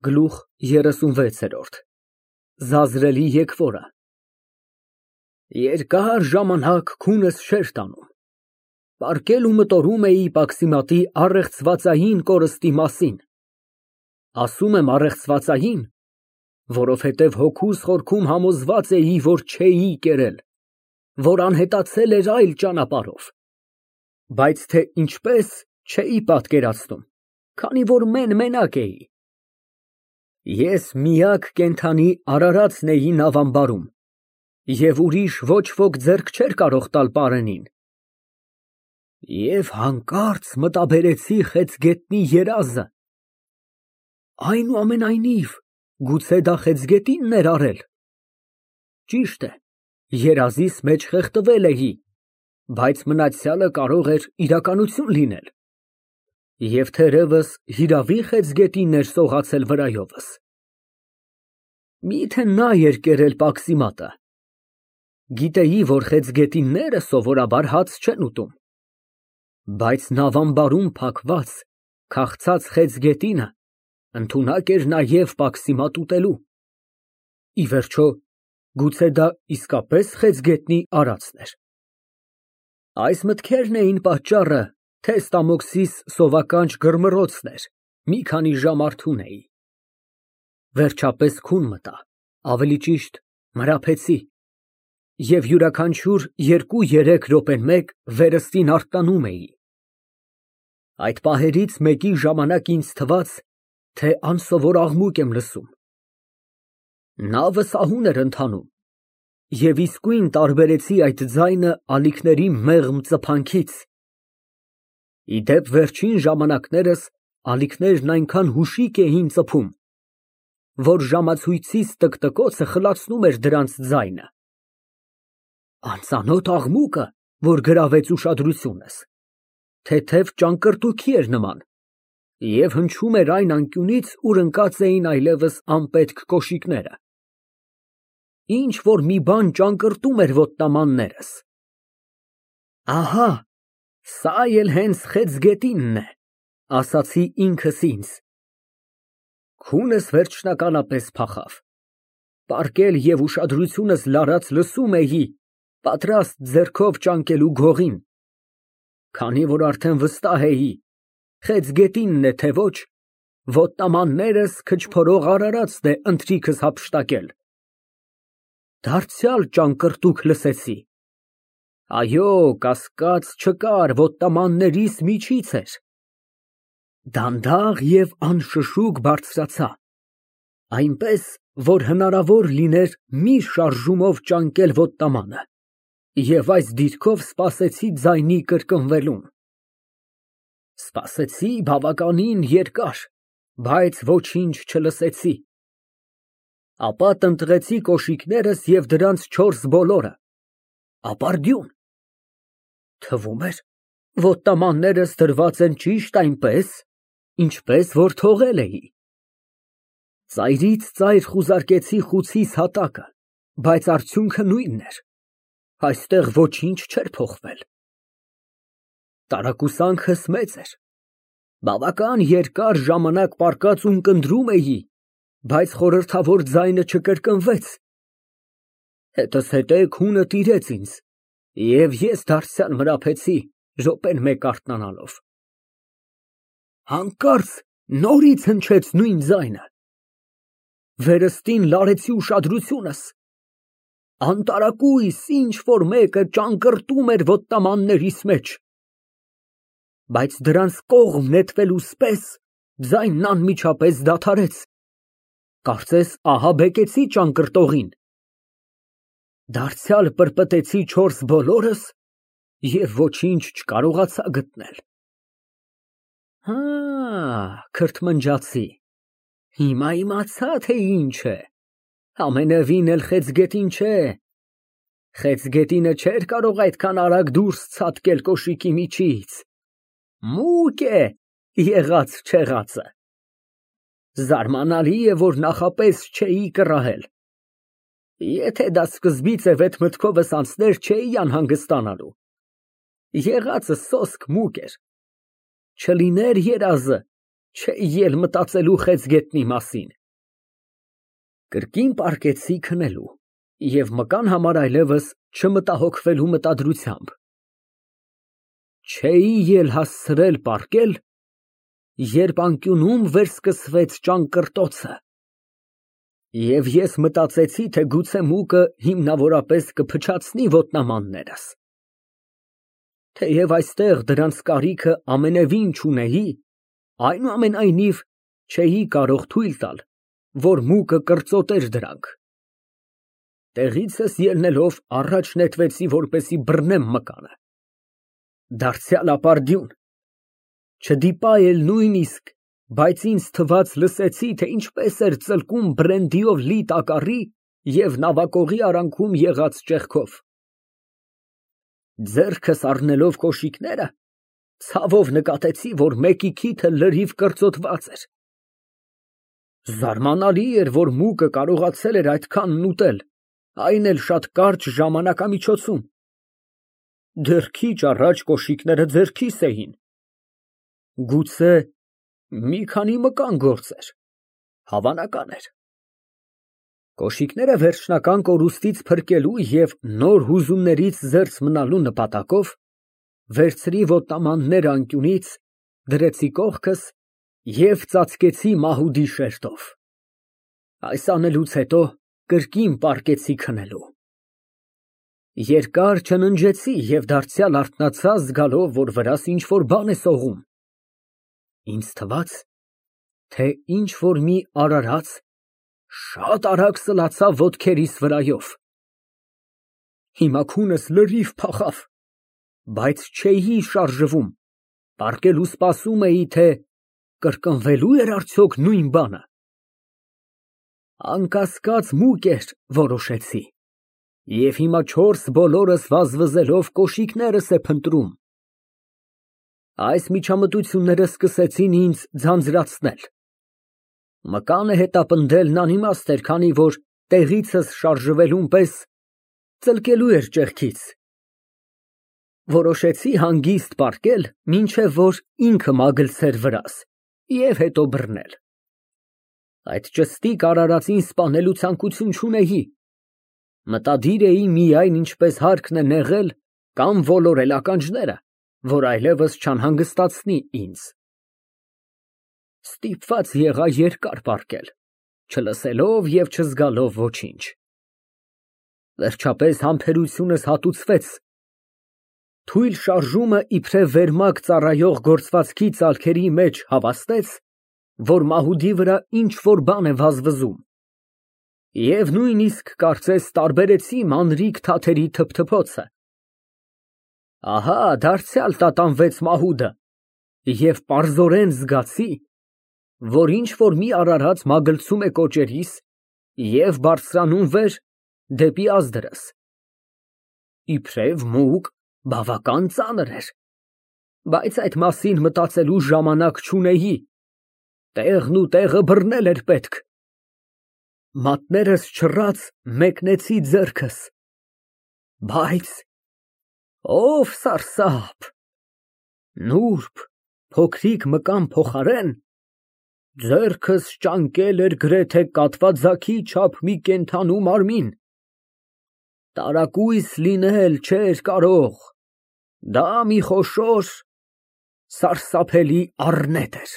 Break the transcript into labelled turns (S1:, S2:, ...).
S1: Գլուխ 36 Զազրելի եկվորը Երկար ժամանակ քունս չէր տանում, պառկել ու մտորում էի Պաքսիմատի առեղծվածային կորստի մասին, ասում եմ առեղծվածային, որովհետև հոգուս խորքում համոզված էի, որ չէի կերել, որ անհետացել էր այլ ճանապարհով, բայց թե ինչպես չէի պատկերացնում, քանի որ մենակ էի։ Ես միակ կենդանի արարածն էի նավամբարում, և ուրիշ ոչ ոք ձեռք չէր կարող տալ պարենին։ Եվ հանկարծ մտաբերեցի խեցգետնի երազը, այնուամենայնիվ, գուցե դա խեցգետինն էր արել։ Ճիշտ է, երազիս մեջ խեղդվել էի, բայց մնացյալը կարող էր իրականություն լինել։ Եվ թերևս հիրավի խեցգետինն էր սողացել վրայովս։ Միթե նա էր կերել Պաքսիմատը։ Գիտեի, որ խեցգետինները սովորաբար հաց չեն ուտում, բայց նավամբարում փակված, քաղցած խեցգետինը ընդունակ էր նաև Պաքսիմատ ուտելու։ Ի վերջո, գուցե դա իսկապես խեցգետնի արածն էր։ Այս մտքերն էին պատճառը, թե Ստամոքսիս սովականջ գրմռոցն էր, մի քանի ժամ արթուն էի։ Վերջապես քուն մտա, ավելի ճիշտ մրափեցի, և յուրաքանչյուր 2-3 րոպեն մեկ վերստին արթնանում էի։ Այդ պահերից մեկի ժամանակ ինձ թվաց, թե անսովոր աղմուկ եմ լսում։ Նավը սահուն էր ընթանում, և իսկույն տարբերեցի այդ ձայնը ալիքների մեղմ ծփանքից։ Ի դեպ, վերջին ժամանակներս ալիքներն այնքան հուշիկ էին ծփում, որ ժամացույցիս տկտկոցը խլացնում էր դրանց ձայնը։ Անծանոթ աղմուկը, որ գրավեց ուշադրությունս, թեթև ճանկրտուքի էր նման և հնչում էր այն անկյունից, ուր ընկած էին այլևս անպետք կոշիկները։ Ինչ֊որ մի բան ճանկրտում էր ոտնամաններս։ Ահա, սա էլ հենց խեցգետինն է, ասացի ինքս ինձ։ Քունս վերջնականապես փախավ։ Պառկել և ուշադրությունս լարած լսում էի, պատրաստ ձեռքով ճանկելու գողին, քանի որ արդեն վստահ էի, խեցգետինն է, թե ոչ, ոտնամաններս քչփորող արարածն է ընթրիքս հափշտակել։ Դարձյալ ճանկրտուք լսեցի։ Այո, կասկած չկար, ոտնամաններիս միջից էր։ Դանդաղ և անշշուկ բարձրացա, այնպես, որ հնարավոր լիներ մի շարժումով ճանկել ոտնամանը, և այս դիրքով սպասեցի ձայնի կրկնվելուն։ Սպասեցի բավականին երկար, բայց ոչինչ չլսեցի։ Ապա տնտղեցի կոշիկներս և դրանց 4 բոլորը, ապարդյուն։ Թվում էր, ոտնամաններս դրված են ճիշտ այնպես, ինչպես որ թողել էի։ Ծայրից ծայր խուզարկեցի խուցիս հատակը, բայց արդյունքը նույնն էր, այստեղ ոչինչ չէր փոխվել։ Տարակուսանքս մեծ էր, բավական երկար ժամանակ պառկած ունկնդրում էի, բայց խորհրդավոր ձայնը չկրկնվեց։ Հետզհետե քունը տիրեց ինձ, և ես դարձյալ մրափեցի, րոպեն մեկ արթնանալով։ Հանկարծ նորից հնչեց նույն ձայնը։ Վերստին լարեցի ուշադրությունս։ Անտարակույս ինչ֊որ մեկը ճանկրտում էր ոտնամաններիս մեջ։ Բայց դրանց կողմ նետվելուս պես ձայնն անմիջապես դադարեց։ Կարծես ահաբեկեցի ճանկրտողին։ Դարձյալ պրպտեցի 4 բոլորս և ոչինչ չկարողացա գտնել։ Հա, քրթմնջացի, հիմա իմացա, թե ինչ է, ամենևին էլ խեցգետին չէ։ Խեցգետինը չէր կարող այդքան արագ դուրս ցատկել կոշիկի միջից։ Մուկ է եղած֊չեղածը։ Զարմանալի է, որ նախապես չէի կռահել։ Եթե դա սկզբից էդ մտքովս անցներ, չէի անհանգստանալու։ Եղածը սոսկ մուկ էր։ Չլիներ երազը, չէի ել մտածելու խեցգետնի մասին։ Կրկին պառկեցի քնելու և մկան համար այլևս չմտահոգվելու մտադրությամբ։ Չէի ել հասցրել պառկել, երբ անկյունում վերսկսվեց ճանկռտոցը, և ես մտածեցի, թե գուցե մուկը հիմնավորապես կփչացնի ոտնամաններս։ Թեև այստեղ դրանց կարիքը ամենևին չունեի, այնուամենայնիվ չէի կարող թույլ տալ, որ մուկը կրծոտեր դրանք։ Տեղիցս ելնելով առաջ նետվեցի, որպեսզի բռնեմ մկանը։ Դարձյալ ապարդյուն, չդիպա էլ նույնիսկ, բայց ինձ թվաց լսեցի, թե ինչպես էր ծլկում բրենդիով լի տակառի և նավակողի արանքում եղած ճեղքով։ Ձեռքս առնելով կոշիկները, ցավով նկատեցի, որ մեկի քիթը լրիվ կրծոտված էր։ Զարմանալի էր, որ մուկը կարողացել էր այդքանն ուտել, այն էլ շատ կարճ ժամանակամիջոցում։ Դեռ քիչ առաջ կոշիկները ձեռքիս էին։ Գուցե մի քանի մկան գործեր, հավանական էր։ Կոշիկները վերջնական կորուստից փրկելու և նոր հուզումներից զերծ մնալու նպատակով վերցրի ոտնամանները անկյունից, դրեցի կողքս և ծածկեցի մահուդի շերտով։ Այս անելուց հետո կրկին պառկեցի քնելու։ Երկար չննջեցի և դարձյալ արթնացա, զգալով, որ վրաս ինչ֊որ բան է սողում։ Ինձ թվաց, թե ինչ֊որ մի արարած շատ արագ սլացավ ոտքերիս վրայով։ Հիմա քունս լրիվ փախավ, բայց չէի շարժվում, պառկել ու սպասում էի, թե կրկնվելո՞ւ էր արդյոք նույն բանը։ Անկասկած մուկ էր, որոշեցի, և հիմա չորս բոլորս վազվզելով կոշիկներս է փնտրում։ Այս միջամտությունները սկսեցին ինձ ձանձրացնել։ Մկանը հետապնդելն անիմաստ էր, քանի որ տեղիցս շարժվելուն պես ծլկելու էր ճեղքից։ Որոշեցի հանգիստ պառկել, մինչև որ ինքը մագլցեր վրաս, և հետո բռնել։ Այդ ճստիկ արարածին սպանելու ցանկություն չունեի։ Մտադիր էի միայն, ինչպես հարկն է նեղել կամ ոլորել ականջները, որ այլևս չանհանգստացնի ինձ։ Ստիպված եղա երկար պառկել, չլսելով և չզգալով ոչինչ։ Վերջապես համբերությունս հատուցվեց։ Թույլ շարժումը իբրև վերմակ ծառայող գործվածքի ծալքերի մեջ հավաստեց, որ մահուդի վրա ինչ֊որ բան է վազվզում, և նույնիսկ կարծես տարբերեցի մանրիկ թաթերի թփթփոցը։ Ահա դարձյալ տատանվեց մահուդը, և պարզորեն զգացի, որ ինչ֊որ մի արարած մագլցում է կոճերիս և բարձրանում վեր դեպի ազդրս։ Իբրև մուկ բավական ծանր էր, բայց այդ մասին մտածելու ժամանակ չունեի, տեղն ու տեղը բռնել էր պետք։ Մատներս չռած մեկնեցի ձեռքս, բայց ով սարսափ, նուրբ, փոքրիկ մկան փոխարեն ձեռքս ճանկել էր գրեթե կատվաձագի չափ մի կենդանու մարմին։ Տարակույս լինել չէր կարող, դա մի խոշոր, սարսափելի առնետ էր։